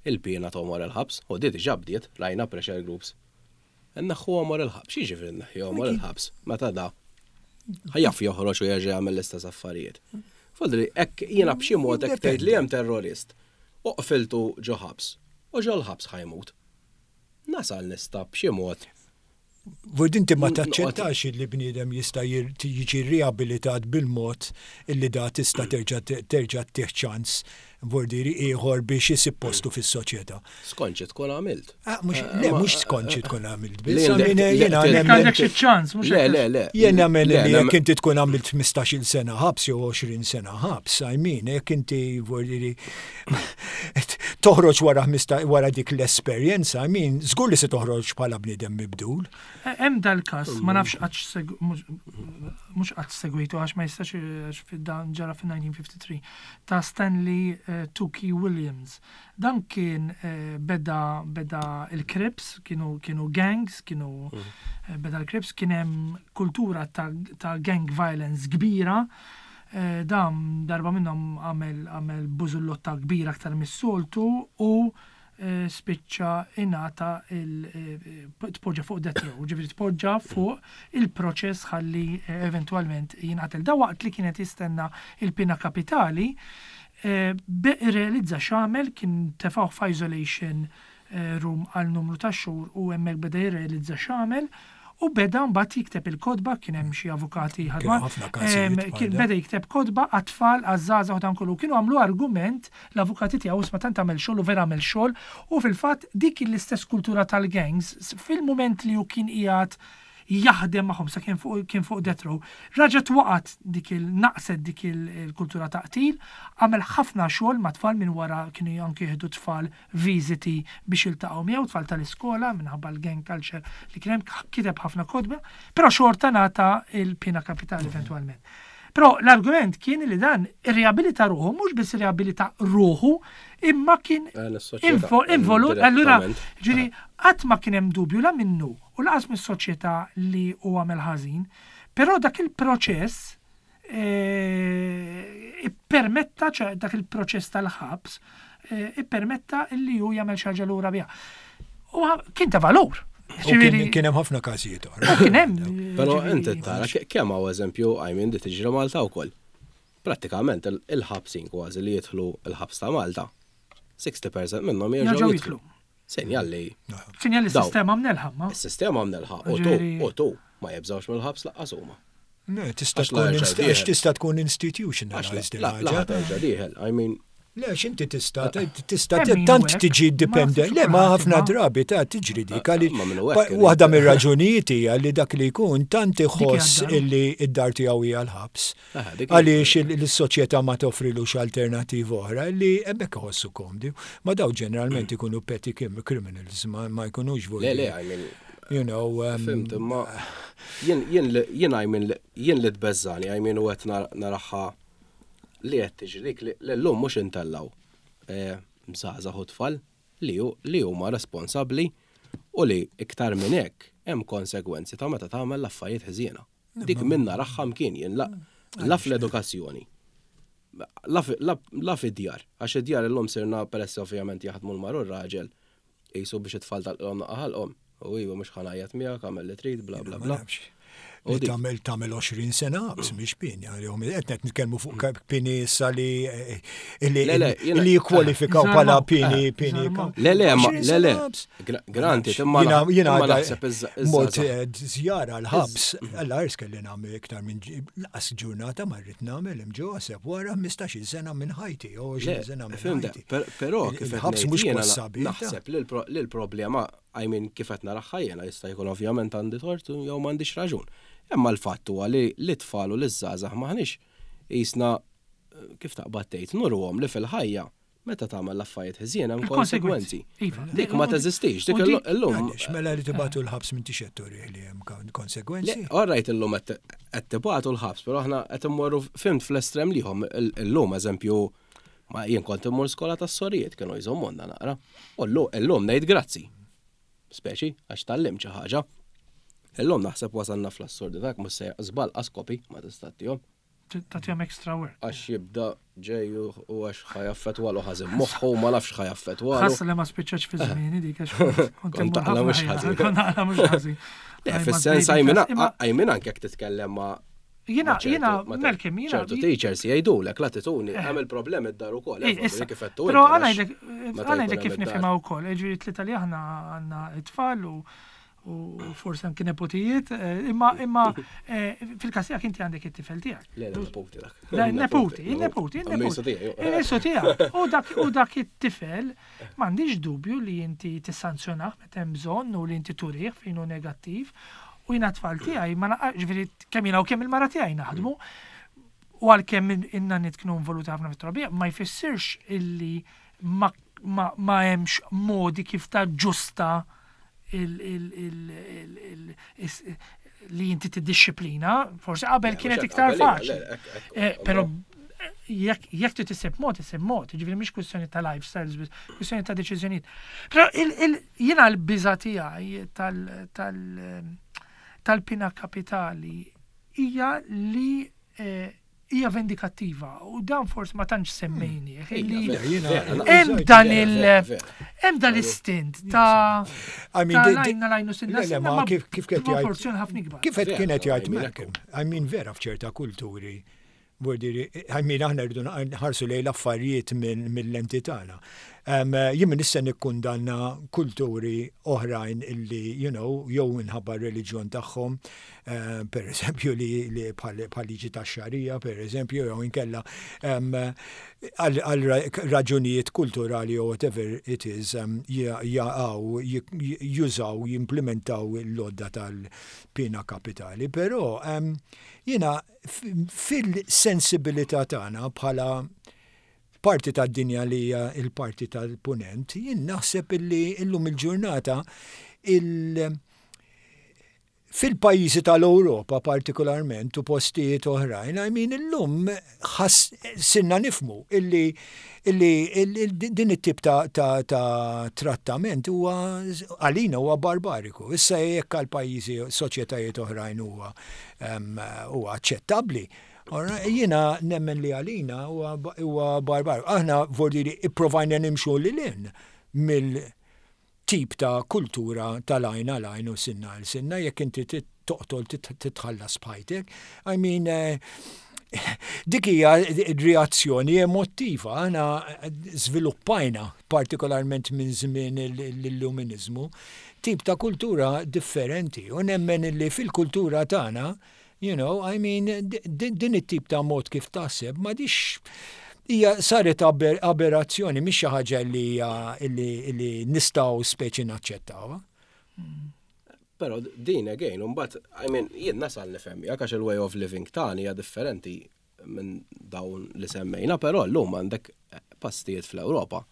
il-piena ta' għomor il-ħabs, u di diġà bdiet, rajna pressure groups. Nneħħu għomor il-ħabs, x'jiġifieri nneħħi għomor il-ħabs meta da jaf joħroġ u jerġa' jagħmel l-istess affarijiet. Fodri, hekk jiena b'xi mod hekk tgħid li hemm terrorist u qfiltu ġo ħabs u ġo l-ħabs ħa jmut. Nasal nista' b'xi mod
Vord inti ma taċċettax li bniedem jista' jiġi riabilitat bil-mod illi da tista' terġa' terġa' ttih ċans vordiri ieħor biex isib postu fis-soċjetà.
Skont xi tkun għamilt.
Ah, mhux le mhux skont xi tkun għamilt biss.
Jiena għandek xi ċans, mhux
Le, le, le.
Jien nemmen li jekk inti tkun għamilt 15-il sena ħabs jew 20 sena ħabs, I mean, jekk inti vordiri toħroġ wara wara dik l-esperjenza, I mean, żgur li se toħroġ bħala bniedem mibdul.
Hemm dal-każ, ma nafx qatt mhux qatt segwitu għax ma jistax għax dan ġara fin-1953 ta' Stanley Tookie Williams. Dan kien beda beda il-Crips, kienu kienu gangs, kienu beda l-Crips, kien hemm kultura ta' ta' gang violence kbira. Dan darba minnhom għamel għamel bużullotta kbira aktar mis-soltu u spiċċa ingħata il tpoġġa fuq death row, ġifieri tpoġġa fuq il-proċess ħalli eventwalment jinqatel. Da waqt li kienet jistenna il-pena kapitali, irrealizza x'għamel, kien tefgħuh f'isolation room għal numru ta' xhur u hemmhekk beda jirrealizza x'għamel u beda mbagħad jikteb il-kotba, kien hemm xi avukati
ħadma. Ħafna każijiet
Kien beda jikteb kotba għat-tfal, għaż-żgħażagħ u dan kollu. Kienu għamlu argument l-avukati tiegħu isma' tant għamel xogħol u vera għamel xogħol u fil-fatt dik l-istess kultura tal-gangs fil-mument li hu kien qiegħed jaħdem magħhom sa kien fuq kien fuq death row, raġgħet waqgħet dik il naqset dik il-kultura ta' qtil, għamel ħafna xogħol ma' tfal minn wara kienu anke jieħdu tfal viżiti biex jiltaqgħu miegħu, tfal tal-iskola minħabba l-gang culture li kien hemm, kiteb ħafna kotba, però xorta ngħata l-piena kapitali eventwalment. Però l-argument kien li dan irriabilita ruħu, mhux biss irriabilita ruħu, imma kien involut, allura ġifieri qatt ma kien hemm dubju la minnu u lanqas mis-soċjetà li hu għamel ħażin, però dak il-proċess ippermetta, ċe dak il-proċess tal-ħabs, ippermetta li hu jagħmel xi ħaġa lura biha. U kien ta' valur.
Kien hemm ħafna każijiet
oħra. Kien hemm.
Però inti tara kemm hawn eżempju, I mean, di tiġri Malta wkoll. Prattikament il-ħabsin kważi li jidħlu l-ħabs ta' Malta, 60% minnhom jerġgħu jidħlu. Sinjal li.
Sinjal li s-sistema mnelħa.
Ma. Is-sistema mnelħa u tu, u tu ma jibżgħux mill-ħabs laqqas huma.
Le, tista' tkun għax tista' tkun institutionalized
il-ħaġa. Terġa' dieħel, I mean.
Le, x'inti tista' tista' tant tiġi dipendent. Le, ma ħafna drabi ta' tiġri dik għaliex waħda mir-raġunijiet hija li dak li jkun tant iħoss illi d-dar tiegħu hija l-ħabs. Għaliex l-soċjetà ma toffrilux alternattiva oħra li hemmhekk iħossu komdi. Ma daw ġeneralment ikunu petty criminals, ma jkunux
Le, le, I mean.
You know.
Fhimt, imma jien jien I mean jien li tbeżżani, I mean u qed naraha li qed tiġri dik li llum mhux intellgħu żgħażagħ u tfal li li huma responsabbli u li iktar minn hekk hemm konsegwenzi ta' meta tagħmel l-affarijiet ħżiena. Dik minn naraha mkien jien la la fl-edukazzjoni, la fid-djar, għax id-djar illum sirna peress ovvjament jaħdmu l-mara u r-raġel, qisu biex it-tfal tagħlqilhom naqqa ħalqhom, u iva mhux ħa ngħajjat miegħek, agħmel li trid, bla bla bla.
Li tagħmel tagħmel 20 sena ħabs mhix pieni għalihom. Qed qed nitkellmu fuq pieni issa li li jikkwalifikaw bħala pieni pieni.
Le le ma le le. Granti imma jiena naħseb
Mort żjara l-ħabs, alla ħares kelli nagħmel iktar minn laqas ġurnata ma rrid nagħmel hemm ġo għaseb wara 15-il sena minn ħajti, 20 sena minn ħajti.
Però kif ħabs mhux possibbli. Naħseb li l-problema I mean kif qed naraha jiena jista' jkun ovvjament għandi tort jew m'għandix raġun. Imma l-fatt huwa li lit-tfal u liż-żgħażagħ m'aħniex qisna kif taqbad tgħid nuruhom li fil-ħajja meta tagħmel l-affarijiet ħżiena hemm konsegwenzi. Iva. Dik ma teżistix, dik illum.
Għaliex mela li tibgħatu l-ħabs m'intix qed turih li hemm konsegwenzi?
All right illum qed tibgħatu l-ħabs, però aħna qed immorru fhimt fl-estrem l-ieħor illum eżempju Ma jien kont immur skola tas-sorijiet kienu jżommonna naqra. U llum ngħid grazzi. Speċi, għax tgħallimt xi ħaġa. Illum naħseb wasalna fl-assurdità jekk mhux sejjer żball qas kopi ma tista' tagħtihom.
Tagħtihom extra work.
Għax jibda ġej u għax ħa jaffettwalu ħażin moħħu ma nafx ħa jaffettwalu.
Ħassa li ma spiċċax fi żmieni dik għax kont immur ħafna mhux ħażin. Kont naqla mhux ħażin.
Le, fis-sens għajmin anke jekk titkellem ma'
Jina, jina, Malcolm, jina.
ċertu teachers jgħidulek l-attitudni, eh. hemm il-problemi d-dar ukoll.
Eh, issa, però għanajdek, għanajdek kif nifhimha wkoll, eh, ġifieri tlieta li aħna għandna it-tfal u u forsi anki nepotijiet, imma imma fil-każ tiegħek inti għandek it-tifel tiegħek.
Le, le, nepoti dak.
Nepoti, il-nepoti, il-nepoti. Il-nisu tiegħek. U dak it-tifel m'għandix dubju li inti tissanzjonah meta hemm bżonn u li inti turih fejn hu negattiv. U jiena t-tfal tiegħi ma naqgħax, ġifieri kemm jiena u kemm il-mara tiegħi naħdmu, u għalkemm in-nanniet kienu involuti ħafna fit-trobbija, ma jfissirx illi ma, ma, ma hemmx modi kif taġġusta il, il, il, il, il, li inti tiddixxiplina, forsi qabel kienet iktar faċli. Eh, però jekk jekk trid issib mod, issib mod, jiġifieri mhix kwistjoni ta' lifestyles biss, kwistjoni ta' deċiżjonijiet. Però jiena l-biża' tiegħi tal tal tal-pina kapitali hija li hija vendikattiva u dan forsi ma tantx semmejnieh li hemm dan il hemm dan l-istint ta' lajna lajnu sinna
ma kif kif qed
jgħid proporzjon ħafna ikbar.
Kif qed kienet jgħid Malcolm, I mean vera f'ċerta kulturi Vuol I mean aħna rridu nħarsu lejn l-affarijiet mill-lenti tagħna. Jien m'iniex se nikkundanna kulturi oħrajn illi, you know, jew minħabba r-reliġjon tagħhom, per eżempju li bħal liġi tax-xarija, per eżempju, jew inkella għal raġunijiet kulturali jew whatever it is, jaqgħu, jużaw, jimplimentaw l-għodda tal-piena kapitali. Però jiena fil-sensibilità tagħna bħala parti tad-dinja li hija l-parti tal-punent, jien naħseb illi illum il-ġurnata il fil-pajjiżi tal-Ewropa partikolarment u postijiet oħrajn, I mean illum sinna nifmu illi illi din it-tip ta', ta, ta trattament huwa għalina huwa barbariku. Issa jekk għal pajjiżi soċjetajiet oħrajn huwa huwa aċċettabbli. Jiena nemmen li għalina huwa barbariku. Aħna vordiri ipprovajna nimxu lil hinn mill tip ta' kultura tal-għajn għal għajn u sinna għal sinna, jekk inti toqtol titħallas b'ħajtek. I mean, eh, dik hija reazzjoni emottiva, aħna żviluppajna partikolarment minn żmien l-illuminizmu, tip ta' kultura differenti u nemmen li fil-kultura tagħna You know, I mean, din it-tip ta' mod kif taħseb ma dix hija saret aberrazzjoni, mhix xi ħaġa li hija li nistgħu speċi naċċettawha.
Però din again, mbagħad, I mean, jien nasal nifhem għax il-way of living tagħni hija differenti minn dawn li semmejna, però llum għandek postijiet fl-Ewropa.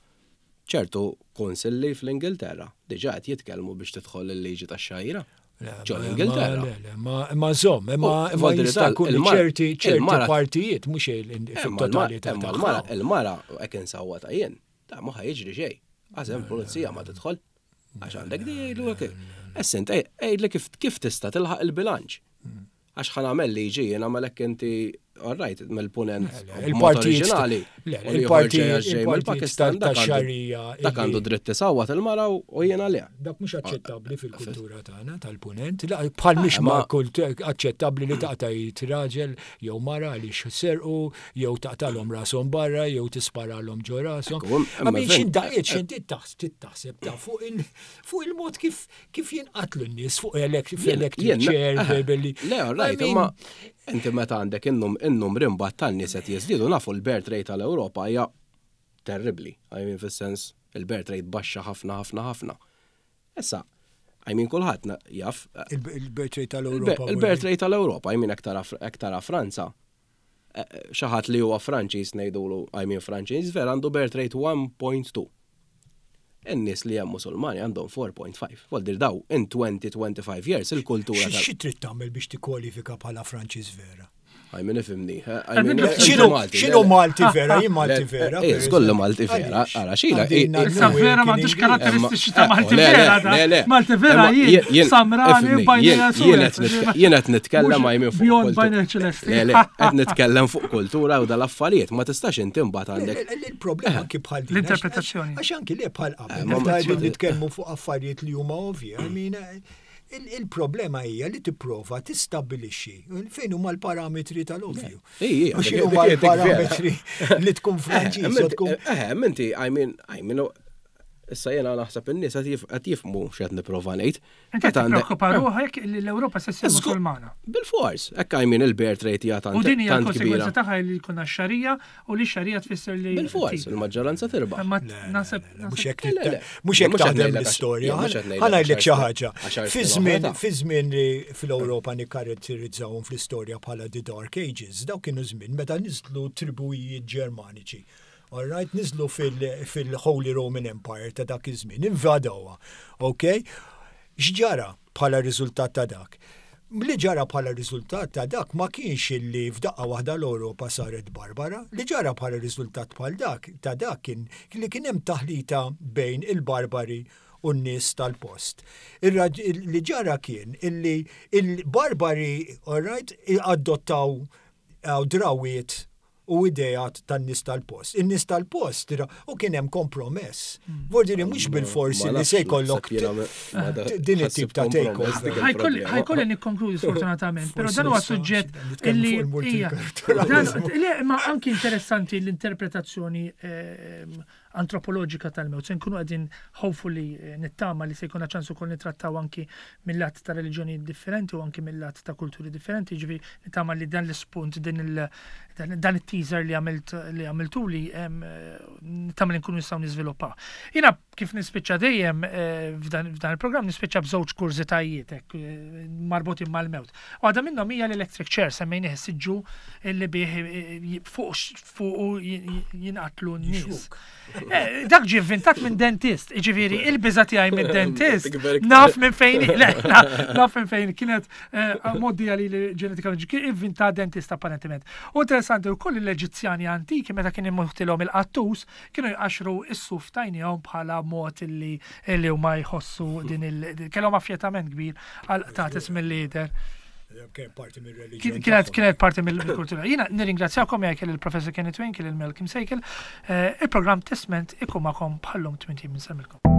Ċertu kunsilli fl-Ingilterra diġà qed jitkellmu biex tidħol il-liġi tax-xgħira. Ġo l-Ingilterra.
Le, le, ma żomm, imma jista' jkun ċerti ċerti partijiet mhux fit-totalità.
Il-mara hekk insawwata jien, ta' ma jiġri xejn. Għax hemm pulizija ma tidħol. Għax għandek di jgħidu hekk. Issa int għidli kif tista' tilħaq il-bilanċ. Għax ħa nagħmel liġi jien nagħmel hekk inti. all right, mill-punent
Il-partijiet
oriġinali.
Il-partijiet
mill-Pakistan
tax-xarija.
Dak għandu dritt isawwat il-mara u jiena le.
Dak mhux aċċettabbli fil-kultura tagħna tal-punent. Bħal mhix ma aċċettabbli li taqta' raġel jew mara għaliex serqu jew taqtalhom rashom barra jew tisparalhom ġo rashom. Għamin x'indaqiet x'inti taħseb ta' fuq il-mod kif kif jinqatlu n-nies fuq electric chair
billi. Le, right, imma inti meta għandek in-numri mbagħad tan-nies qed jiżdiedu nafu l-birth rate tal-Ewropa hija terribbli. I mean fis-sens il-birth rate baxxa ħafna ħafna ħafna. Issa, I mean kulħadd jaf.
Il-birth rate tal-Ewropa.
Il-birth rate tal-Ewropa, I mean aktar Franza. Xi ħadd li huwa Franċiż ngħidulu, I mean Franċiż vera għandu birth rate 1.2. In-nies li hemm Musulmani għandhom 4.5. Voldir daw in 20-25 years il-kultura.
Xi trid tagħmel biex tikkwalifika bħala Franċiż vera?
I mean, ifhimni.
X'inhu Malti vera? Jien Malti vera.
Eh, żgur Malti vera. Ara xila.
Issa vera m'għandux karatteristiċi ta' Malti vera. Malti vera jien samrani bajnija
Jien qed nitkellem I mean
fuq. Bjond bajnija ċelesti.
Le, le, qed nitkellem fuq kultura u dal-affarijiet, ma tistax inti mbagħad għandek.
Il-problema anki bħal din.
L-interpretazzjoni.
Għax anki le bħal qabel. Meta qegħdin nitkellmu fuq affarijiet li huma ovvji, I mean, il-problema hija li tipprova tistabbilixxi fejn huma l-parametri tal-ovvju. U x'inhu huma l-parametri li tkun Franċiż u tkun.
Eh, inti, I mean, I mean, issa jena naħseb in-nies qed jifhmu x'qed nipprova ngħid.
Inti qed tippreokkupa ruħek li l-Ewropa se ssir Musulmana.
Bil-fors, hekk I mean il-birth rate hija tant
U din hija l-konsegwenza tagħha li jkollna x-xarija u li x-xarija tfisser li.
Bil-fors, il-maġġoranza tirbaħ.
Ma naħseb
mhux hekk mhux hekk taħdem l-istorja. Ħa ngħidlek xi ħaġa. Fi żmien fi żmien li fl-Ewropa nikkaratterizzawhom fl-istorja bħala the Dark Ages, dawk kienu żmien meta niżlu tribujiet Ġermaniċi All right, niżlu fil-Holy Roman Empire ta' dak iż-żmien, invadawha. Ok? X'ġara bħala riżultat ta' dak? Li ġara bħala riżultat ta' dak ma kienx illi f'daqqa waħda l-Ewropa saret barbara, li ġara bħala riżultat bħal dak ta' dak kien li kien hemm taħlita bejn il-barbari u n-nies tal-post. Li ġara kien illi il-barbari, all right, adottaw drawiet u ideat tan-nies tal-post. In-nies tal-post, u kien hemm kompromess. Hmm. Vordiri mhux bil-forsi li se jkollok din it-tip ta' takeover.
Ħajkolli nikkonkludi sfortunatament, però dan huwa suġġett illi Le, ma anki interessanti l-interpretazzjoni ehm, antropoloġika tal-mewt. Se nkunu qegħdin hopefully eh, nittama li se jkollna ċans ukoll nittrattaw anki mill-lat ta' reliġjonijiet differenti u anki mill-lat ta' kulturi differenti, ġifieri nittama li dan l-ispunt din il dan it-teaser li għamilt li għamiltuli eh, nittama li nkunu nistgħu niżviluppaw. Jiena kif nispiċċa dejjem eh, f'dan il-programm nispiċċa b'żewġ kurżitajiet hekk marbutin mal-mewt. Waħda minnhom hija l-electric chair semmejnih is-siġġu li bih fuq fuqu jinqatlu n-nies. Eh, dak ġie inventat minn dentist, ġifieri il-biża tiegħi minn dentist. Naf minn fejn, naf minn fejn kienet eh, moddi għali li ġenetikament kien inventat dentist apparentement. U interessanti wkoll l-Eġizzjani antiki meta kien immuħtilhom il-qattus kienu jqaxru s-suf tajnihom bħala mod li li huma jħossu din il kellhom affjetament kbir għal qtates mill-lider.
Kienet parti mill-reliġjon.
Kienet kienet parti mill-kultura. Jiena nirringrazzjakom jekk il-Professor Kenneth Wayne, il-Malcolm Sejkel. Eh, il-programm Testment ikun magħkom bħallum 80 minn semmilkom.